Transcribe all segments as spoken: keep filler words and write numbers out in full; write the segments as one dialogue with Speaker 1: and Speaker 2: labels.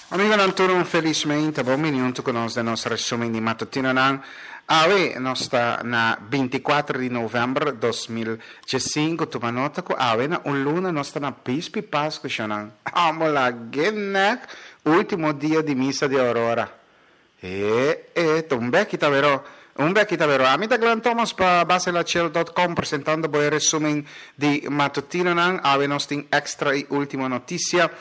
Speaker 1: Amigonan tur, un felis mainta. Bon bini huntu ku nos den nos resumen di matutinonan. Awe nos ta na binti kuater di novèmber dos mil diesinku. Tuma nota ku awe na un luna nos ta na Bispi Pasku, shonan. Amo lag'é nèk último dia di misa di Aurora. E e ta un bèki ta beró. Un bèki ta beró. Ami ta Glenn Thomas pa Baselachel dòt com presentando bo e resumen di matutinonan. Awe nos tin extra i último notisia.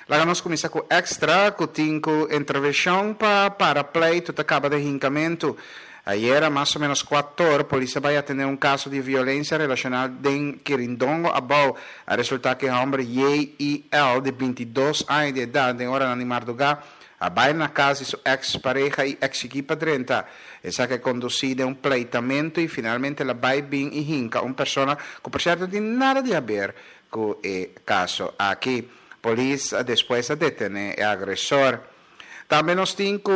Speaker 1: Laga nos kuminsá ku Extra ku tin ku intervenshon pa para pleitu ta kaba den hinkamentu. Ayera mas o ménos kuator polis a bai atendé un kaso di violensia relashonal den Kirindongo Abou. A resultá ku e hòmber J I L di binti dos aña di edat den oranan di mardugá a bai na kas di su eks pareha i eksigí pa drenta. Esaki a kondusí den un pleitamentu i finalmente el a bai bin i hinka un persona ku por sierto no tin nada di haber ku e kaso aki. Polis a despues a detene e agresor. Tambe nos tin cu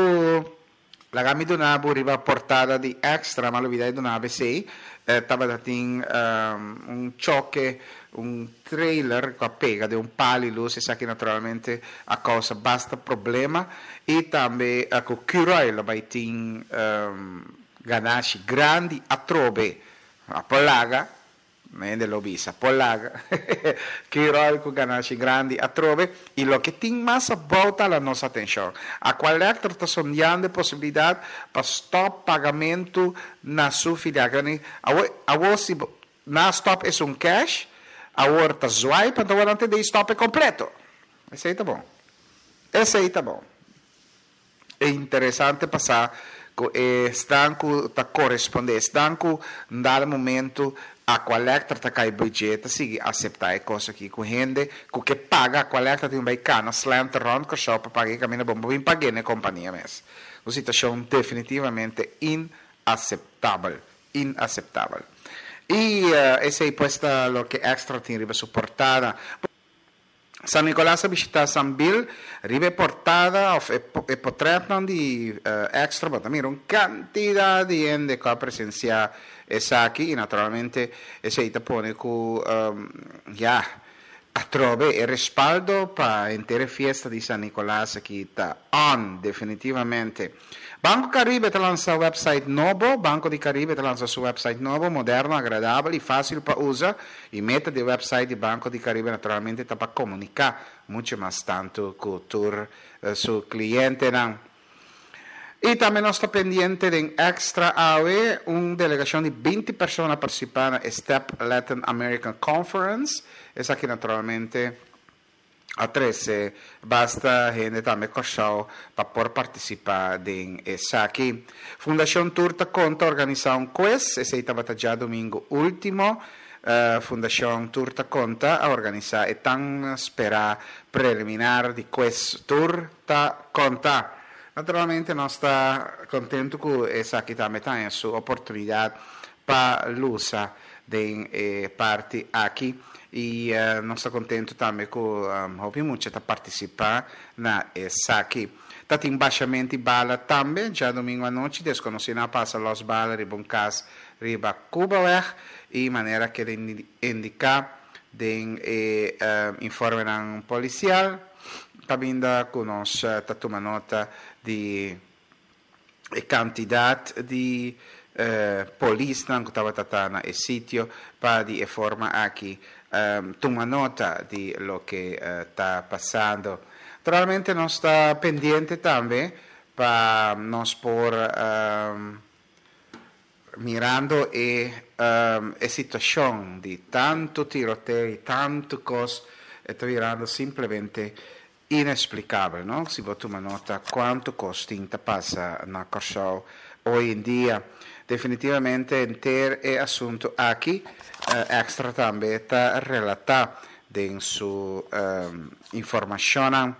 Speaker 1: laga mi duna bo riba portada di Extra, m'a lubida di duna bo esey, tabata tin un choke, un trailer cu a pega den un pal y luz, esaki naturalmente a causa basta problema y tambe cu Curoil lo bay tin ganashi grandi atrobe, a por laga. Hende lo bisa, Por laga ki ròl ku ganashi grandi atrobe i loke tin mas abou ta la nos atenshon. Aqualectra ta sondeando e posibilidat pa stòp pagamentu na su filial. Awor, awor si bo na stòp esun kèsh, awor ta swipe, anto awor nan ta dei stòp e kompleto. Esei ta bon. Esei ta bon. E interesante pa sa ku esnan ku ta korespondé, esnan ku dado momento Aqualectra ta kai budget ta sigui aseptá e kos aki ku hende ku ke paga Aqualectra tin bai kana slanter rònt Kòrsou pa paga e kaminda bon bo bin pag'é na e kompania mes. Un situashon definitivamente inaseptabel, inaseptabel. I esei pues ta loke Extra tin riba su portada. San Nicolas a bishita San Bill riba e portada of e e potretnan di Extra bo ta mira un cantidad di hende cu a presencia esaki y naturalmente esey ta pone cu ya atrobe e respaldo pa henter e fiesta di San Nicolas aki ta on definitivamente. Banco Caribe ta lansa website nobo. Banco di Caribe ta lansa su website nobo, moderno, agradabel y facil pa usa. Y meta di e website di Banco di Caribe naturalmente ta pa comunica mucho mas tanto cu tur su clientenan. Y tambe nos ta pendiente den Extra awe, un delegacion di binti persona a participa na e Step Latin American Conference. Esaki naturalmente a trese basta hende tambe Kòrsou pa por partisipá den esaki. Fundashon Tur ta Konta a organisá un kues, esei tabata djadumingu último. Fundashon Tur ta Konta a organisá e tan sperá preliminar di kues Tur ta Konta. Naturalmente nos ta kontentu ku esaki tambe ta haña su oportunidat pa lusa den e parti aki y nos ta contento tambe cu hopi mucha ta participa na esaki. Ta tin bashamento y bala tambe. Djadomingo anochi desconocinan a pasa los bala riba un cas riba Cubaweg y manera keda indica den e informenan policial caminda cu nos ta tuma nota di e kantidat di polisnan ku tabata ta na e sitio pa di e forma aki tuma nota di loke ta pasando. Naturalmente nos ta pendiente tambe pa nos por mirando e e situashon di tantu tiroteo i tantu kos e ta birando simplemente Inexplicabel, no? Si bo tuma nota cuanto cos tin ta pasa na Corsou hoy en dia. Definitivamente henter e asunto aki Extra tambe ta relata den su informacionnan.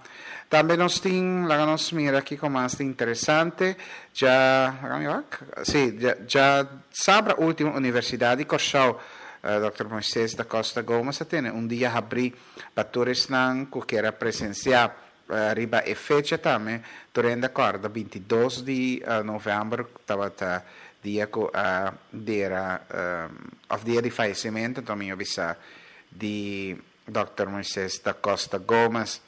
Speaker 1: Tambe nos tin, laga nos mira kico mas ta interesante, dja, laga mi wak, si, dja sabra ultimo Universidad di Corsou, Dòkter Moises da Costa Gomez a tene un dia habrí pa tur esnan ku kier a presensiá riba e fecha tambe. Tur hende a kòrda binti dos di novèmber tabata dia ku a dera òf dia di fayesimentu, anto mi a bisa, di Dòkter Moises da Costa Gomez.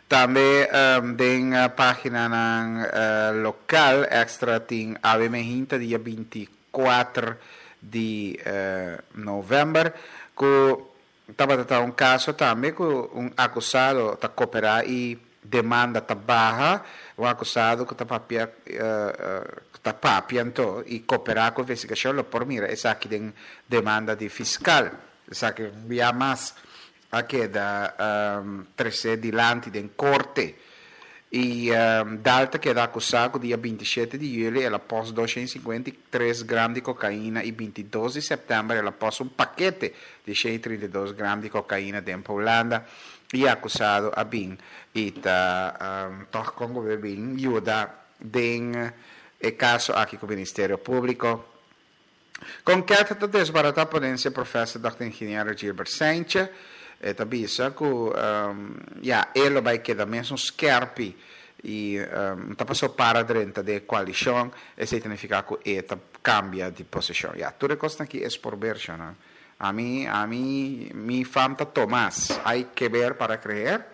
Speaker 1: Tambe um, den paginanan uh, lokal Extra tin awe mainta dia bintikuater di uh, novèmber ku tabata un kaso tambe ku un akusado ta koperá i demanda ta baha, un akusado ku ta papia uh, uh, ta papia anto i koperá ku investigashon, lo por mira esaki den demanda di fiskal. Esaki bia mas a keda um, trese dilanti den korte. I um, Dal ta keda akusá ku dia bintishete di yüli el a pòst doshent i sinkuenta i tres gram di kokaina i bintidos di sèptèmber el a pòst un pakete di shen i trinta i dos gram di kokaina den Hulanda i akusado a bin i ta um, tòg kon ku bin yuda den e kaso aki ku Ministerio Públiko. Konket ta desbaratá ponensia professor dòkter ingeniero Gilbert Cijntje. E ta bisa ku um, ya, e lo bai keda mesun skèrpi i um, ta pasó para drenta den koalishon, esei ta nifiká ku e ta kambia di posishon. Ya, tur e kosnan aki es por ber, no? Ami, ami, mi fam ta Tomás. Hay que ver para creer.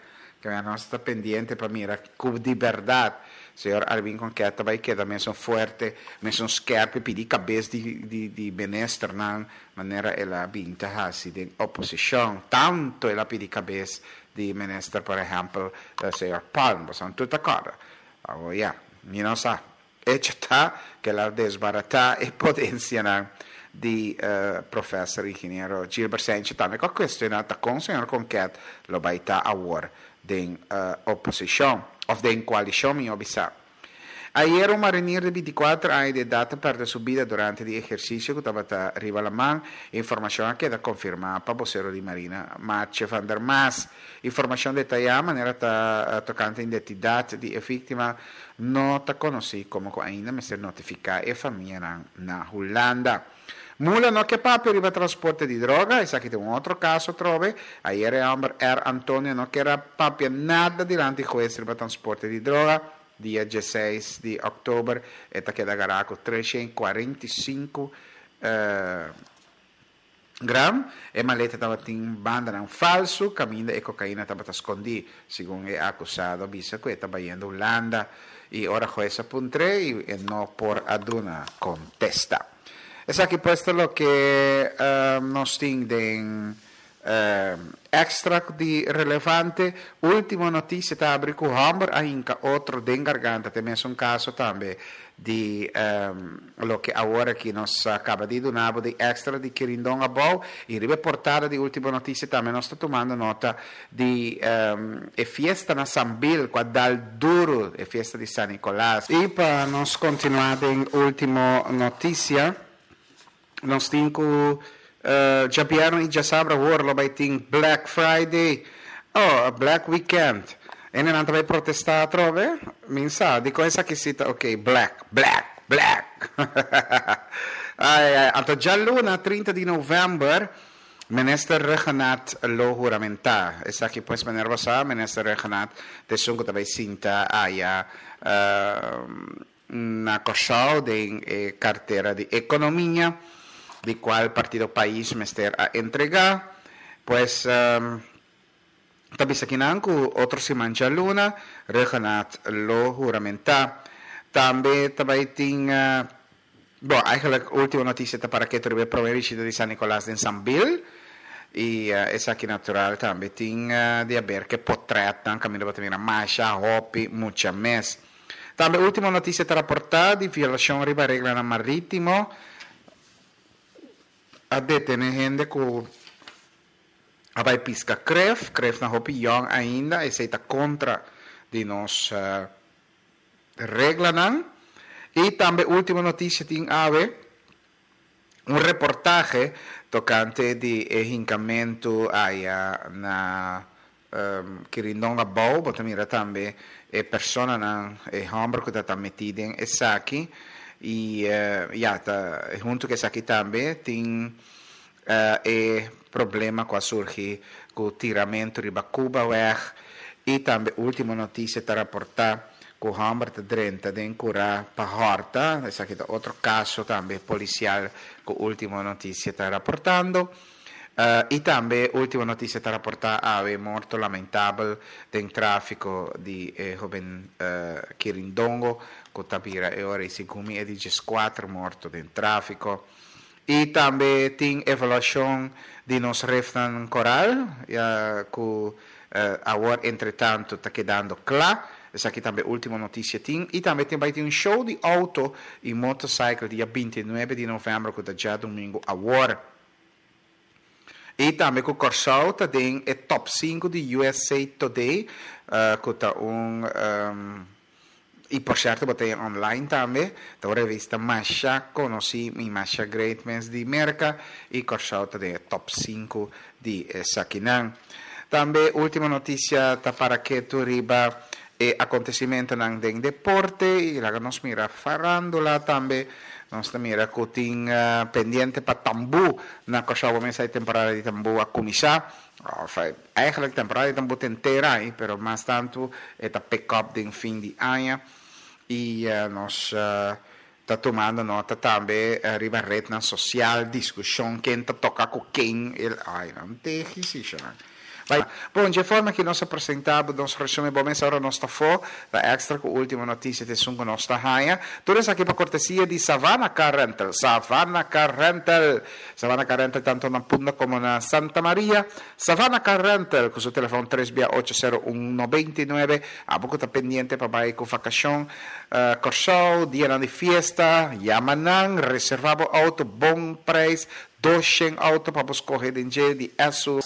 Speaker 1: Ke nos ta pendiente pa mira ku di bèrdat señor Arvin Konket ta bai keda mesun fuerte, mesun skèrpi, pidi kabes di, di, di ministernan, manera el a bin ta hasi den oposishon. Tantu el a pidi kabes di minister, por ehèmpel, señor Palm, boso tur ta kòrda. Awor ya, mi no sa. Echo ta ku el a desbaratá e ponensianan di uh, professor ingeniero Gilbert Cijntje tambe ku a kuestioná ta kon señor Konket lo bai ta awor den uh, oposishon òf den koalishon, mi bisa. Ayera un marinier di bintikuater aña di edat a pèrdè su bida durante di ehersisio ku tabata riba laman. Informashon a keda konfirmá pa bosero di Marina, Martje van der Maas. Informashon detayá manera ta tokante identidat di e víktima no ta konosí komo ku ainda mester notifiká e famianan na Hulanda. Mula no ke papia riba transporte di droga, esaki ta un otro kaso atrobe. Ayera e hòmber R. Antonio no ker a papia nada dilanti hues riba transporte di droga. Dia diesseis di òktober e ta keda agará ku treshen kuarenta i sinku gram. E maleta tabatin bandanan falsu kaminda e kokaina tabata skondí, segun e akusado a bisa ku e ta bayendo Hulanda i ora hues a puntr'é i e no por a duna kontesta. Esaki pues ta loke nos tin den Extra di relevante. Ultimo Noticia ta abri ku hòmber a hinka otro den garganta. Ta e mesun kaso tambe di loke awor aki nos a kaba di duna bo di Extra di Kirindon abou. I riba e portada di Ultimo Noticia tambe nos ta tumando nota di e fiesta na Sambil ku a dal duru, e fiesta di San Nicolas. I pa nos kontinuá den Ultimo Noticia, nos tin ku djabièrnè i djasabra awor lo bai tin Black Friday, oh, Black Weekend. Hendenan ta bai protestá atrobe? Mi sa, dikon esaki si ta ok, black, black, black. Ai, ai, anto djaluna trinta di novèmber Minister Rhuggenaath lo huramentá. Esaki pues manera bo sa, Minister Rhuggenaath ta esun ku ta bai sinta aya na Kòrsou den e kartera di ekonomia, di kual Partido Pais mester a entregá. Pues ta bisa kinan ku otro siman djaluna Rhuggenaath lo huramentá. Tambe ta bai tin, bon, eigenlijk Ultimo Noticia ta para ketu riba e prome bishita di San Nicolas den Sambil. I esaki natural tambe tin di haber ku e potrètnan kaminda bo ta mira masha hopi mucha mes. Tambe Ultimo Noticia ta raportá di violashon riba reglanan marítimo. A detené hende ku a bai piska kref, krefnan hopi yòn ainda, esei ta kontra di nos reglanan. I tambe Ultimo Noticia tin awe un reportahe tokante di e hinkamentu aya na Kirindon abou. Bo ta mira tambe e personanan, e hòmber ku ta ta metí den esaki. I ya, ta huntu ku esaki tambe tin e problema ku a surgi ku tiramentu riba Cubaweg. I tambe Ultimo Noticia ta raportá ku hòmber ta drenta den kurá pa hòrta. Esaki ta otro kaso tambe polisial ku Ultimo Noticia ta raportando. Uh, i tambe Ultimo Noticia ta raportá awe morto lamentabel den tráfiko di eh, hóben uh, Kirindongo, ku ta bira e ora segun mi e di dieskuater morto den tráfiko. I tambe tin evaluashon di nos refnan koral, ya ku uh, awor entretantu ta kedando kla. Esaki tambe Ultimo Noticia tin. I tambe tin bai tin un show di outo i motorcycle dia bintinuebe di novèmber, ku ta djadumingu awor. I tambe ku Kòrsou ta den e top sinku di U S A Today, uh, ku ta un um, i por sierto bo tin online tambe, ta un revista masha konosí i masha great mes di Merka, i Kòrsou ta den e top sinku di esakinan. Tambe Ultimo Noticia ta para ketu riba e akontesimentonan den deporte i laga nos mira farándula tambe. Nos mira ku tin uh, pendiente pa tambú na Kòrsou, mes e temporada di tambú a kuminsá. Of, eigenlijk temporada di tambú tin henter, pero mas tantu e ta pick up den fin di aña i uh, nos uh, ta tumando nota tambe uh, riba ret sosial, diskushon ken ta toka ku ken el ai no tin. Bai. Bon, di forma ku nos a presentá nos resumen, bon, awor nos ta afó, da Extra ku Ultimo Noticia ta esun ku nos ta haña. Tur esaki pa kortesia di Savannah Car Rental. Savannah Car Rental. Savannah Car Rental tantu na Punda komo na Santa Maria. Savannah Car Rental ku su telefòn tres ocho sero un nobenta i nuebe. Abo ku ta pendiente pa bai ku vakashon, uh, Kòrsou, dia di fiesta, yama nan, reservá bo outo, bon preis, dos outo pa skohe di di S U V.